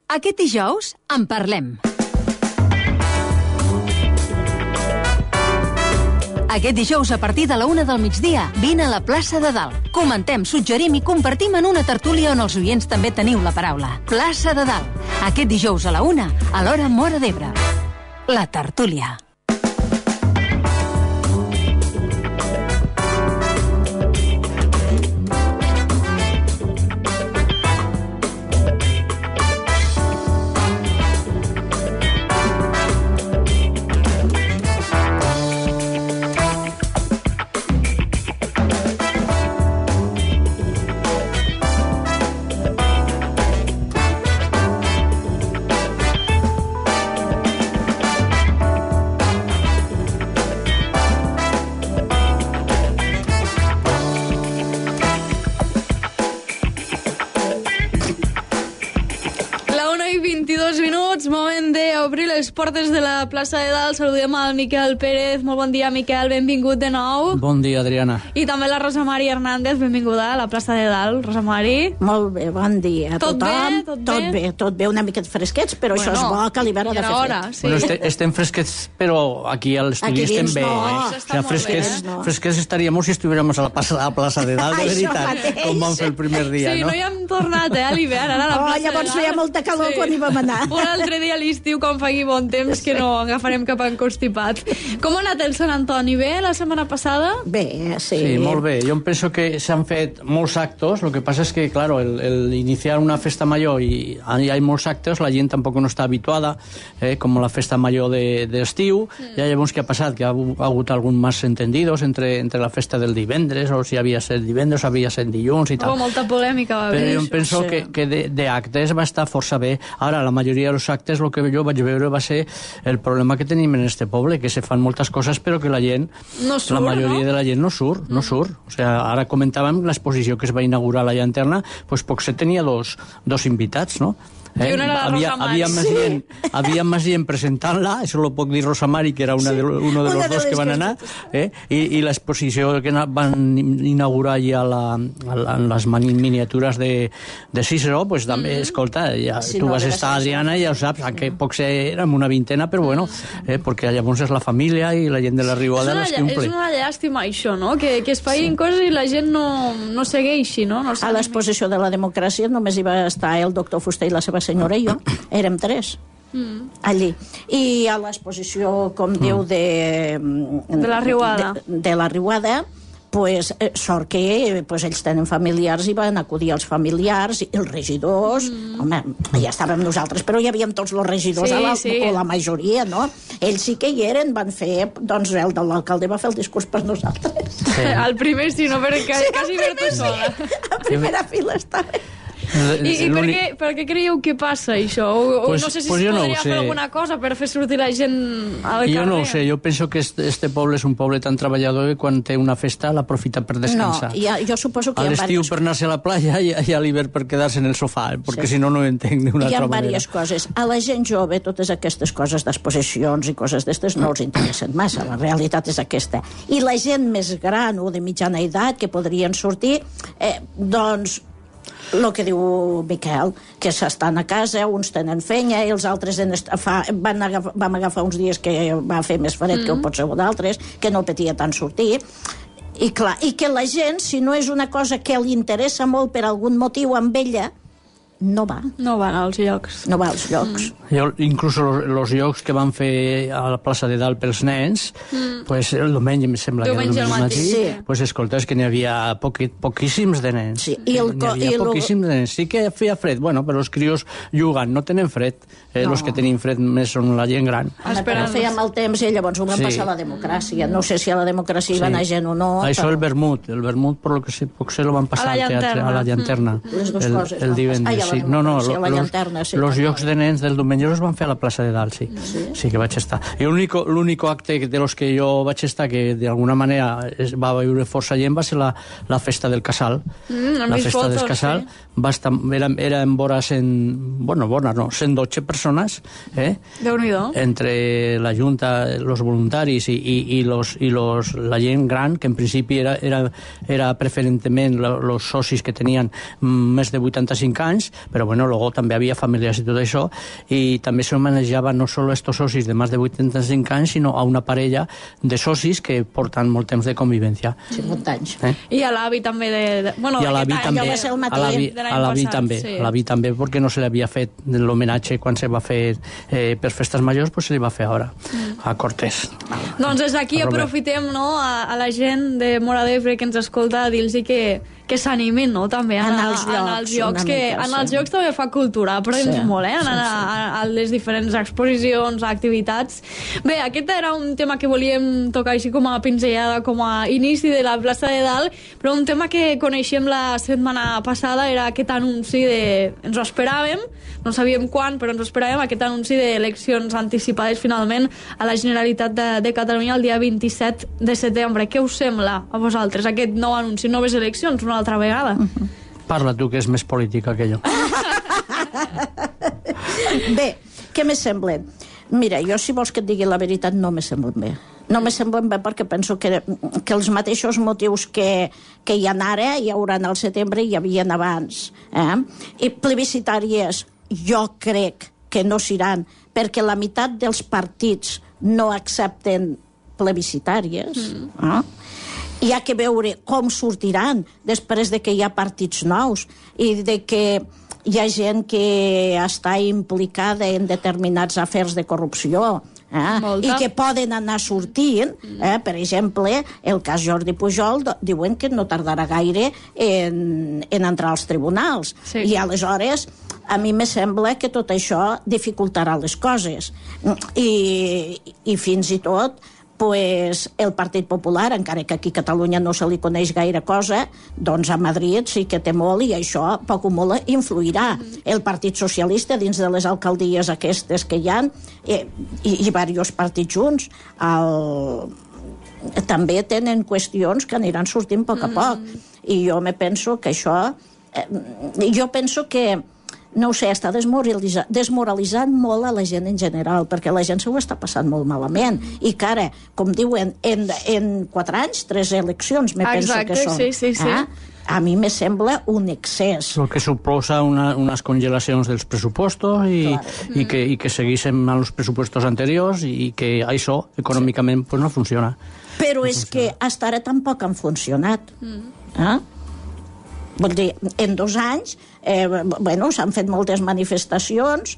Aquest dijous en parlem. Aquest dijous, a partir de la 1 del migdia, vine a la plaça de Dalt. Comentem, suggerim i compartim en una tertúlia on els oients també teniu la paraula. Plaça de Dalt. Aquest dijous a la 1, a l'hora Móra d'Ebre. La tertúlia. Moment d'obrir les portes de la plaça de Dalt. Saludem al Miquel Pérez. Molt bon dia, Miquel. Benvingut de nou. Bon dia, Adriana. I també la Rosa Mari Hernández. Benvinguda a la plaça de Dalt. Rosa Mari. Molt bé, bon dia a tot tothom. Bé? Tot bé, una miqueta fresquets, però això és bo, que a l'hivern ha de fer fred. Sí. Bueno, estem fresquets, però aquí a l'estudi estem bé. Fresquets estaríem si estuviéramos a la plaça de Dalt, de veritat, com vam fer el primer dia, no? Sí, no hi hem tornat, a l'hivern, ara a la plaça de Dalt. Llavors feia molta calor quan hi vam anar. Un altre dia a l'estiu, quan faci bon temps, que no agafarem cap encostipat. Com ha anat el Sant Antoni? Bé, la setmana passada? Bé, sí. Sí, molt bé. Jo penso que s'han fet molts actos. Lo que pasa es que, claro, el iniciar una festa mayor y hay molts actos, la gent tampoc no està habituada, com la festa mayor d'estiu. Ja llavors què ha passat? Que ha hagut algun más entendidos entre la festa del divendres, o si havia set divendres, o havia set dilluns i tal. Molta polèmica va haver. Però jo penso que d'actes va estar força bé. Ara, la majoria dels actes, el que jo vaig veure va ser el problema que tenim en este poble, que se fan moltes coses però que la gent, la majoria de la gent no surt. O sea, ara comentàvem l'exposició que es va inaugurar a la Llanterna, pues potser tenia dos invitats, no? Havia més gent presentant-la, això ho puc dir Rosa Mari, que era uno de los dos que van anar, i l'exposició que van inaugurar ja en les miniatures de Cícero, pues també, escolta, tu vas estar, Adriana, i ja ho saps, que potser érem una vintena, però bueno, perquè llavors és la família i la gent de la Riuada les que omple. És una llàstima això, no? Que es facin coses i la gent no segueixi, no? A l'exposició de la democràcia només hi va estar el doctor Fuster i la seva senyora i jo, érem 3 allí, i a l'exposició, com diu, de la Riuada, de la Riuada, pues, sort que ells tenen familiars i van acudir els familiars i els regidors. Home, ja estàvem nosaltres, però hi havíem tots els regidors, o la majoria, no? Ells sí que hi eren, van fer, doncs el de l'alcalde va fer el discurs per nosaltres. El primer sí, no? Perquè quasi ver tu sola. A primera fila estava. I per què creieu que passa això? No sé si es podria fer alguna cosa per fer sortir la gent al carrer. Jo no ho sé, jo penso que este poble és un poble tan treballador que quan té una festa l'aprofita per descansar. No, jo suposo que a l'estiu per anar-se a la platja i a l'hivern per quedar-se en el sofà, perquè si no ho entenc d'una altra manera. Hi ha diverses coses. A la gent jove totes aquestes coses d'exposicions i coses d'estes no els interessen massa, la realitat és aquesta. I la gent més gran o de mitjana edat que podrien sortir, doncs el que diu Miquel, que s'estan a casa, uns tenen feina i els altres vam agafar uns dies que va fer més fred que ho pot ser d'altres, que no petia tant sortir, i clar, i que la gent, si no és una cosa que li interessa molt per algun motiu amb ella, no va. No van als llocs. No va als llocs. Inclús els llocs que van fer a la plaça de Dalt pels nens, pues el diumenge, em sembla que el diumenge matí, pues escolta, és que n'hi havia poquíssims de nens. N'hi havia poquíssims de nens. Sí que feia fred, bueno, però els crios jugant, no tenen fred. Els que tenim fred més són la gent gran. Però feia mal temps i llavors ho van passar a la democràcia. No sé si a la democràcia hi va anar gent o no. Això el vermut, per lo que sé, potser lo van passar al teatre, a la Llanterna. Les dues coses. El divendres. Sí, no, los jocs de nens del diumenge els van fer a la plaça de Dalt, sí que vaig estar. I l'únic acte de los que jo vaig estar que d'alguna manera va viure força gent va ser la festa del Casal. La festa del Casal va estar, era en vora 112 persones, entre la Junta, los voluntaris i la gent gran, que en principi era preferentment els socis que tenien més de 85 anys, però bueno, luego també havia famílies i tot això, i també se manejava no solo estos socis de més de 85 anys, sinó a una parella de socis que porten molt temps de convivència. 50 anys. I a l'avi també bueno, i a l'avi també, a l'avi també, perquè no se li havia fet l'homenatge quan se va fer per festes majors, pues se li va fer ara a Cortés. Doncs des d'aquí aprofitem, no, a la gent de Móra d'Ebre que ens escolta, a dir-los que s'animin, no?, també a anar als llocs, que en els llocs també fa cultura, aprens molt, anar a les diferents exposicions, activitats. Bé, aquest era un tema que volíem tocar així com a pinzellada, com a inici de la plaça de Dalt, però un tema que coneixíem la setmana passada era aquest anunci ens ho esperàvem, no sabíem quan, però ens ho esperàvem, aquest anunci d'eleccions anticipades finalment a la Generalitat de Catalunya el dia 27 de setembre. Què us sembla a vosaltres, aquest nou anunci, noves eleccions, una altra vegada? Parla tu, que és més política que jo. Bé, què me semblen? Mira, jo, si vols que et digui la veritat, no me semblen bé. No me semblen bé perquè penso que els mateixos motius que hi ha ara hi haurà al setembre i hi havia abans. I plebiscitàries jo crec que no seran, perquè la meitat dels partits no accepten plebiscitàries. Hi ha que veure com sortiran després de que hi ha partits nous i de que hi ha gent que està implicada en determinats afers de corrupció i que poden anar sortint. Per exemple, el cas Jordi Pujol diuen que no tardarà gaire en entrar als tribunals. I aleshores a mi me sembla que tot això dificultarà les coses. I fins i tot pues, el Partit Popular, encara que aquí a Catalunya no se li coneix gaire cosa, doncs a Madrid sí que té molt i això poc o molt influirà. El Partit Socialista, dins de les alcaldies aquestes que hi ha, i diversos partits junts, també tenen qüestions que aniran sortint a poc a poc. I jo me penso que això... Jo penso que no ho sé, està desmoralitzant molt a la gent en general, perquè la gent s'ho està passant molt malament. I que ara, com diuen, en 4 anys, 3 eleccions, me penso que són. Sí. A mi me sembla un excés. El que suposa unes congelacions dels pressupostos i que seguissin els pressupostos anteriors i que això, econòmicament, pues no funciona. Però és que fins ara tampoc han funcionat. Vull dir, en 2 anys s'han fet moltes manifestacions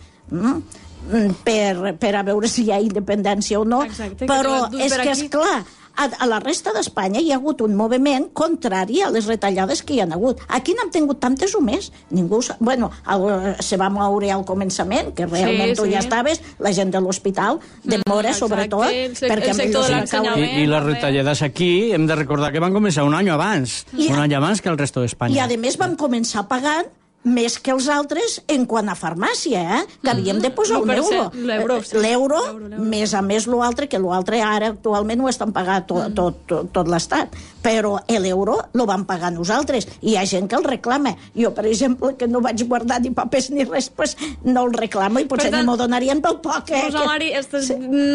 per a veure si hi ha independència o no, però és que, esclar, a la resta d'Espanya hi ha hagut un moviment contrari a les retallades que hi ha hagut. Aquí n'hem tingut tantes o més. Ningú... Bueno, se va moure al començament, que realment tu ja estaves, la gent de l'hospital, de Móra, sobretot, perquè el sector de l'ensenyament. I les retallades aquí, hem de recordar que van començar un any abans que el resto d'Espanya. I, a més, vam començar pagant més que els altres en quant a farmàcia, que havíem de posar un euro. L'euro, més a més l'altre, que l'altre ara actualment ho estan pagant tot l'Estat. Però l'euro lo vam pagar nosaltres. I hi ha gent que el reclama. Jo, per exemple, que no vaig guardar ni papers ni res, pues no el reclamo i potser ni m'ho donarien pel poc. Rosa Mari, estàs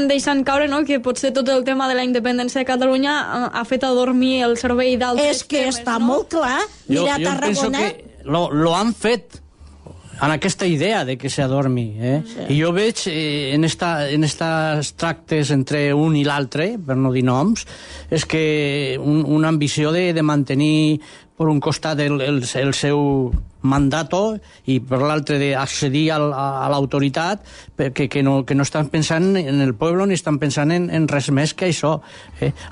deixant caure, no?, que potser tot el tema de la independència de Catalunya ha fet adormir el cervell d'altres temes, no? És que està molt clar. Mira, a Tarragona... Lo han fet en aquesta idea de que s'adormi. I jo veig en estos tractes entre un i l'altre, per no dir noms, és que una ambició de mantenir per un costat el seu mandato i per l'altre d'accedir a l'autoritat, que no estan pensant en el poble ni estan pensant en res més que això.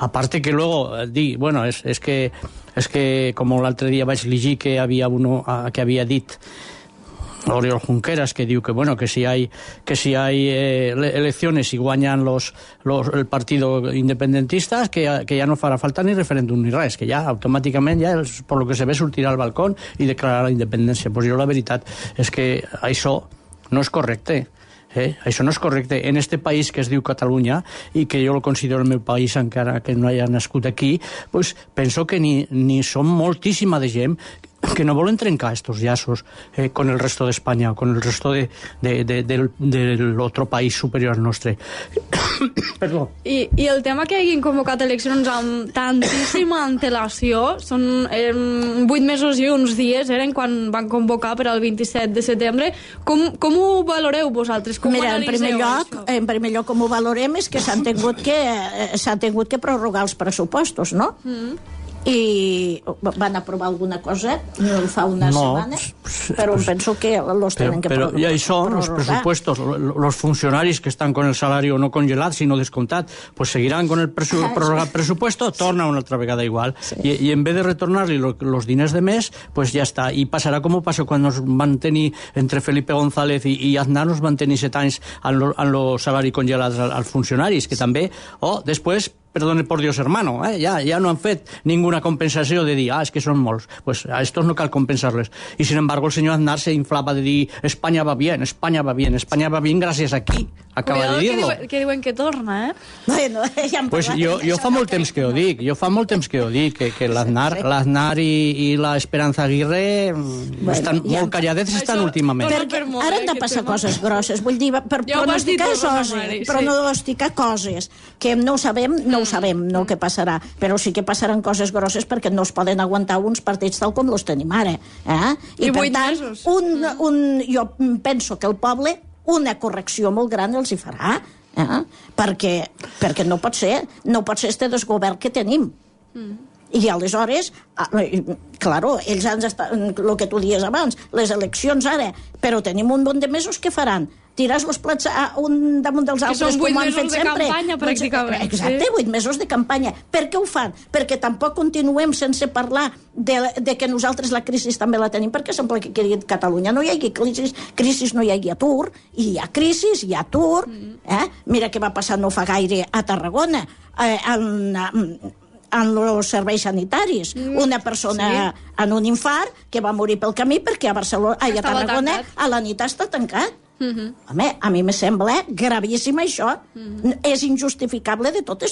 A part que luego dir, bueno, és que com l'altre dia vaig llegir que havia dit Oriol Junqueras, que diu que si hay elecciones y guanyan el partido independentista, que ya no farà falta ni referèndum ni res, que ja automàticament, per lo que se ve, sortirà al balcó i declararà la independència. Pues jo la veritat és que això no és correcte. Això no és correcte. En este país que es diu Catalunya, i que jo lo considero el meu país encara que no haya nascut aquí, pues penso que ni som moltíssima de gent que no volen trencar estos llaços con el resto de España, con el resto del otro país superior al nostre. Perdó. I el tema que hagin convocat eleccions amb tantíssima antelació, són 8 mesos i uns dies, eren quan van convocar per al 27 de setembre. Com ho valoreu vosaltres? Com Mira, en primer lloc, com ho valorem és que s'han tingut que prorrogar els pressupostos, no? I van aprovar alguna cosa fa una setmana, però penso que los tenen que prorrogar. Y ahí son los presupuestos. Los funcionaris que están con el salario no congelat, sino descontat, pues seguirán con el prorrogat presupuesto, torna una altra vegada igual. Y en vez de retornar-li los diners de mes, pues ya está. Y pasarà com passó quan nos van tenir, entre Felipe González i Aznar, nos van tenir 7 anys en el salari congelat als funcionaris, que també, després, perdone por Dios, hermano, ya no han fet ninguna compensació de dir, es que són molts. Pues a estos no cal compensarles. Y sin embargo el señor Aznar se inflaba de dir, España va bien, España va bien, España va bien gracias a qui? Acaba de dir-lo. Que diuen que torna, Bueno, ja pues jo fa molt temps que ho dic, que l'Aznar i la Esperanza Aguirre estan molt calladets últimament. Perquè ara han de passar coses grosses, vull dir, per pronosticar coses que no ho sabem, no què passarà, però sí que passaran coses grosses perquè no es poden aguantar uns partits tal com els tenim ara. I per tant, jo penso que el poble una correcció molt gran els hi farà, perquè no pot ser este desgovern que tenim. I aleshores, claro, ells han estat, el que tu dies abans, les eleccions ara, però tenim un munt de mesos que faran. Tirar els plats un damunt dels altres, com han fet sempre. Que són 8 mesos de campanya, pràcticament. Exacte, 8 mesos de campanya. Per què ho fan? Perquè tampoc continuem sense parlar de que nosaltres la crisi també la tenim, perquè sembla que a Catalunya no hi hagi crisi, no hi hagi atur, i hi ha crisi, hi ha atur. Mira què va passar no fa gaire a Tarragona, en els serveis sanitaris. Una persona en un infart que va morir pel camí perquè a Tarragona a la nit està tancat. Home, a mi me sembla gravíssim això. És injustificable de totes.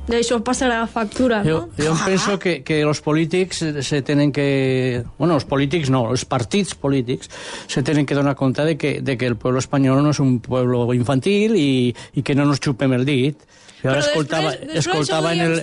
D'això passarà factura, no? Jo penso que los polítics se tenen que... Bueno, los polítics no, els partits polítics se tenen que donar compte de que el pueblo espanyol no és un pueblo infantil i que no nos xupem el dit. I ara escoltava en el...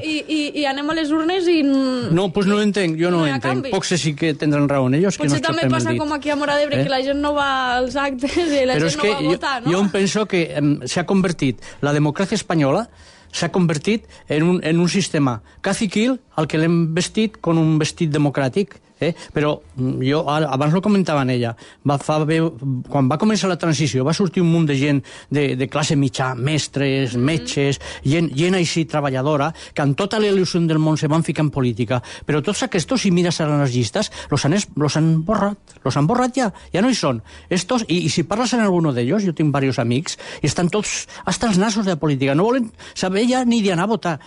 I anem a les urnes i... No, doncs no ho entenc, jo no ho entenc. Pocs sí que tindran raó ells, que no potser també passa com aquí a Móra d'Ebre, que la gent no va als actes i la gent no va a votar, no? Jo penso que s'ha convertit, la democràcia espanyola s'ha convertit en un sistema caciquil al que l'hem vestit con un vestit democràtic. Però jo abans ho comentava en ella, quan va començar la transició va sortir un munt de gent de classe mitjà, mestres, metges, gent així treballadora, que amb tota la il·lusió del món se van ficar en política, però tots aquests, si mires a les llistes, los han borrat ja no hi són. I si parles amb alguno d'ells, jo tinc diversos amics, i estan tots hasta els nassos de la política, no volen saber ja ni d'anar a votar.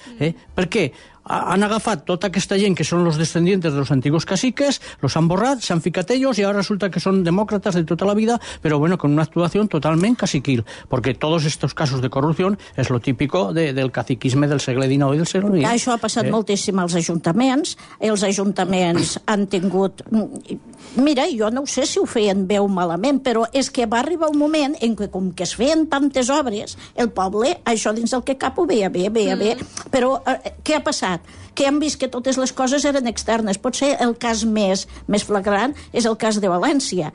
Per què? Han agafat tota aquesta gent que són los descendientes de los antiguos caciques, los han borrat, s'han ficat ellos y ahora resulta que son demócratas de toda la vida, pero bueno, con una actuación totalmente caciquil, porque todos estos casos de corrupción es lo típico del caciquisme del segle XIX i del segle XX. Això ha passat moltíssim als ajuntaments. Els ajuntaments han tingut... Mira, jo no sé si ho feien bé o malament, però és que va arribar un moment en què, com que es feien tantes obres, el poble, això dins del que cap ho veia bé. Però què ha passat? Que hem vist que totes les coses eren externes. Potser el cas més flagrant és el cas de València.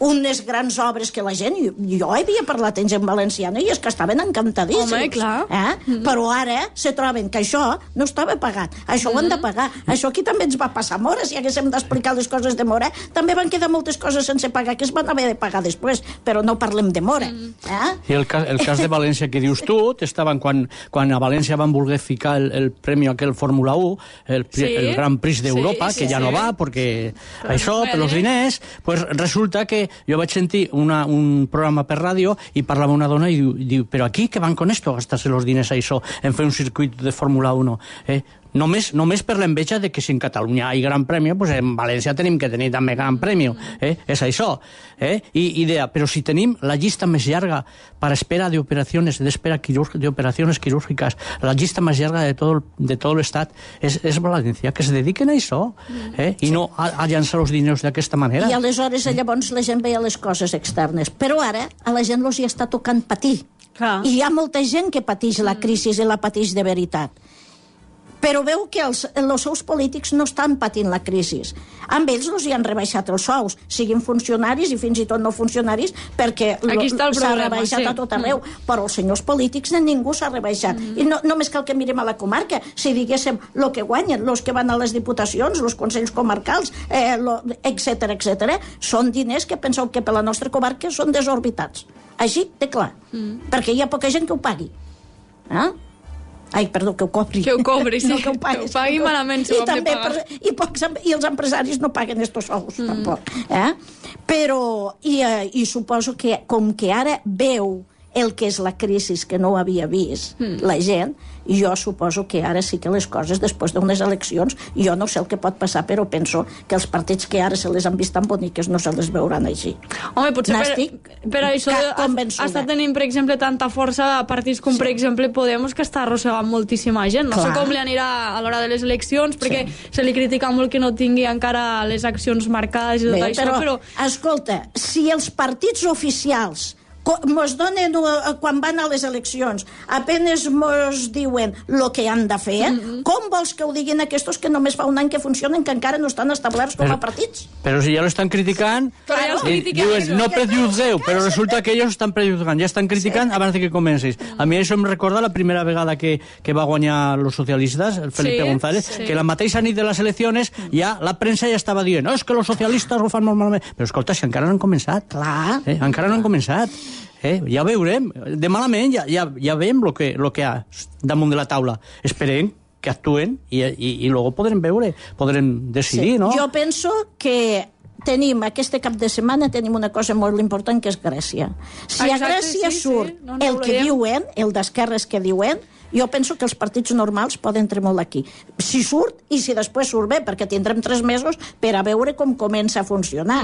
Unes grans obres que la gent... Jo havia parlat en gent valenciana i és que estaven encantadíssims. Home, clar. Però ara se troben que això no estava pagat. Això ho han de pagar. Això aquí també ens va passar a Móra. Si haguéssim d'explicar les coses de Móra, també van quedar moltes coses sense pagar que es van haver de pagar després. Però no parlem de Móra. I el cas de València que dius tu, estaven quan a València van voler ficar el premi aquell Fórmula 1, el Gran Prix d'Europa, que ja no va, perquè això, per els diners, pues resulta que jo vaig sentir un programa per ràdio i parlava una dona i diu, però aquí què van con esto, gastarse los diners a això, en fer un circuit de Fórmula 1? Només per l'enveja de que si en Catalunya hi ha gran premi, pues en València tenim que tenir també gran premi. És això. I deia, però si tenim la llista més llarga per espera d'operacions quirúrgicas, la llista més llarga de tot l'estat és València, que se dediquen a això, i no a llançar els diners d'aquesta manera. I aleshores llavors la gent veia les coses externes. Però ara a la gent els hi està tocant patir. I hi ha molta gent que pateix la crisi i la pateix de veritat. Però veu que els seus polítics no estan patint la crisi. Amb ells els hi han rebaixat els sous, siguin funcionaris i fins i tot no funcionaris, perquè s'ha rebaixat a tot arreu. Però els senyors polítics de ningú s'ha rebaixat. I només cal que mirem a la comarca. Si diguéssim el que guanyen, els que van a les diputacions, els consells comarcals, etcètera, són diners que penseu que per la nostra comarca són desorbitats. Així de clar. Perquè hi ha poca gent que ho pagui. Ai, perdó, que ho cobri. Que ho cobri, sí. No, que ho pagui malament, si ho hem de pagar. I els empresaris no paguen estos sous, tampoc. Però, i suposo que, com que ara veu el que és la crisi que no ho havia vist la gent, jo suposo que ara sí que les coses, després d'unes eleccions, jo no sé el que pot passar, però penso que els partits que ara se les han vist tan boniques no se les veuran així. Home, potser per això està tenint, per exemple, tanta força a partits com, per exemple, Podemos, que està arrossegant moltíssima gent. No sé com li anirà a l'hora de les eleccions, perquè se li critica molt que no tingui encara les accions marcades i tot això, però... Escolta, si els partits oficials mos donen, quan van a les eleccions, apenas mos diuen el que han de fer, com vols que ho diguin aquests que només fa un any que funcionen, que encara no estan establerts com a partits? Però si ja lo estan criticant, diuen, no prejuzgueu, però resulta que ells estan prejuzgant, ja estan criticant abans que comencis. A mi això em recorda la primera vegada que va guanyar los socialistes, el Felipe González, que la mateixa nit de les eleccions ja la premsa ja estava dient, és que los socialistes ho fan molt malament. Però escolta, si encara no han començat. Clar. Encara no han començat. Ja veurem. De malament ja veiem el que hi ha damunt de la taula. Esperem que actuen i luego podrem veure, podrem decidir, no? Jo penso que aquest cap de setmana tenim una cosa molt important, que és Grècia. Si a Grècia surt el que diuen, el d'esquerres que diuen, jo penso que els partits normals poden tremolar aquí. Si surt, i si després surt bé, perquè tindrem 3 mesos per a veure com comença a funcionar.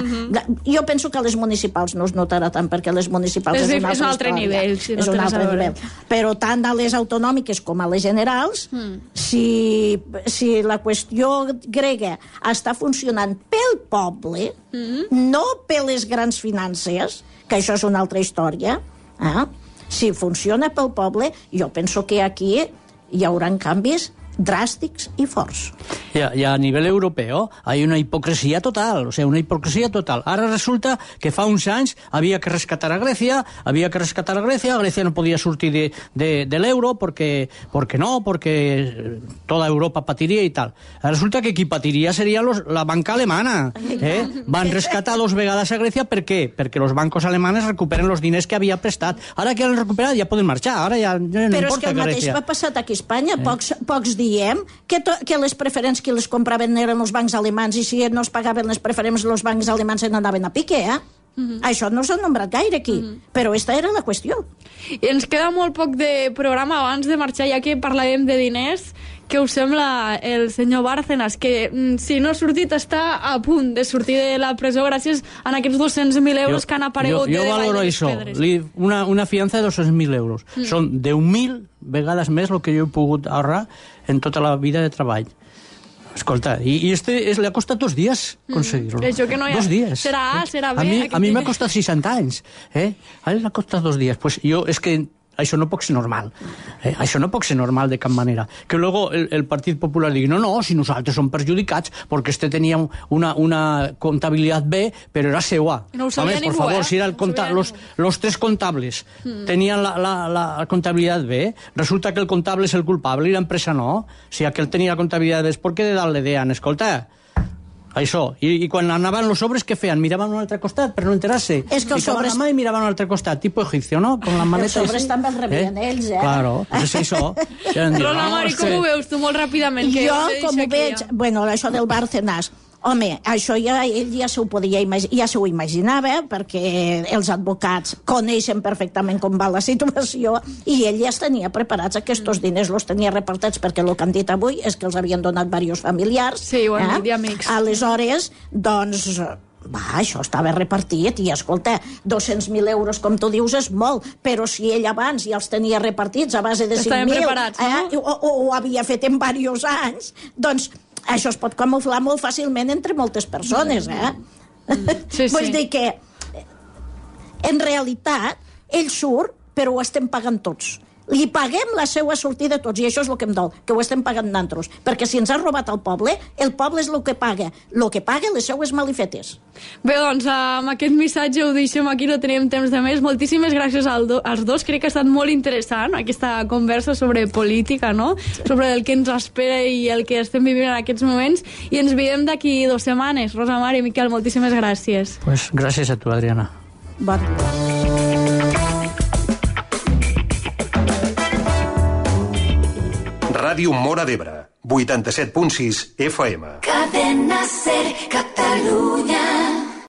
Jo penso que a les municipals no es notarà tant, perquè a les municipals és un altre nivell. És un altre nivell. Però tant a les autonòmiques com a les generals, si la qüestió grega està funcionant pel poble, no per les grans finances, que això és una altra història, si funciona pel poble, jo penso que aquí hi haurà canvis dràstics i forts. Y a nivel europeo hay una hipocresía total, o sea, una hipocresía total. Ara resulta que fa uns anys havia que rescatar a Grècia, Grècia no podia sortir de l'euro perquè toda Europa patiria i tal. Resulta que qui patiria seria la banca alemana. Van rescatar 2 vegades a Grècia, per què? Perquè els bancos alemanes recuperen els diners que havia prestat. Ara que han recuperat ja poden marxar, ara ja no importa. Però és que el mateix va passar aquí a Espanya, pocs diem que les preferents que les compraven eren els bancs alemans, i si no es pagaven les preferents els bancs alemans se n'anaven a pique, Això no s'ha nombrat gaire aquí, però aquesta era la qüestió. I ens queda molt poc de programa abans de marxar, ja que parlàvem de diners. Què us sembla el senyor Bárcenas, que si no ha sortit està a punt de sortir de la presó gràcies a aquests 200.000 euros que han aparegut jo valoro això, una fiança de 200.000 euros. Són 10.000 vegades més el que jo he pogut ahorrar en tota la vida de treball. Escolta, i le ha costat 2 dies conseguir-lo. 2 dies. Serà bé. A mi m'ha costat 60 anys. A ell l'ha costat 2 dies. Pues jo, és que això no pot ser normal. Això no pot ser normal de cap manera. Que luego el Partit Popular digui, no, si nosaltres som perjudicats perquè tenia una comptabilitat B, però era seua. No ho sabia ningú, por favor, si los 3 contables tenien la comptabilitat B, resulta que el comptable és el culpable i l'empresa no. Si aquell tenia la comptabilitat B, és perquè de dalt le deien, escolta, això. I quan anaven los sobres, què feien? Miraven a un altre costat per no enterar-se. Ficaven la mà i miraven a un altre costat, tipus egipcio, no? Con la maleta. Els sobres també els rebien ells, Claro, és això. Rosa Mari, com ho veus tu molt ràpidament? Jo, com ho veig, bueno, això del Bárcenas, Home, això ell ja s'ho podia ja s'ho imaginava, perquè els advocats coneixen perfectament com va la situació i ell ja es tenia preparats. Aquests diners els tenia repartits, perquè el que han dit avui és que els havien donat diversos familiars. Sí, ho han dit, amics. Aleshores, doncs... això estava repartit i, escolta, 200.000 euros, com tu dius, és molt, però si ell abans ja els tenia repartits a base de 5.000... Estaven preparats, no? O ho havia fet en diversos anys, doncs això es pot camuflar molt fàcilment entre moltes persones, Sí. Vull dir que, en realitat, ell surt, però ho estem pagant tots. Li paguem la seva sortida a tots, i això és el que em dol, que ho estem pagant nosaltres, perquè si ens ha robat el poble és el que paga les seues malifetes. Bé, doncs, amb aquest missatge ho deixem aquí, no tenim temps de més. Moltíssimes gràcies als dos, crec que ha estat molt interessant aquesta conversa sobre política, no? Sobre el que ens espera i el que estem vivint en aquests moments, i ens veiem d'aquí 2 setmanes. Rosa Mar i Miquel, moltíssimes gràcies. Pues gràcies a tu, Adriana. Bon. Ràdio Móra d'Ebre, 87.6 FM. Cadena Ser, Catalunya.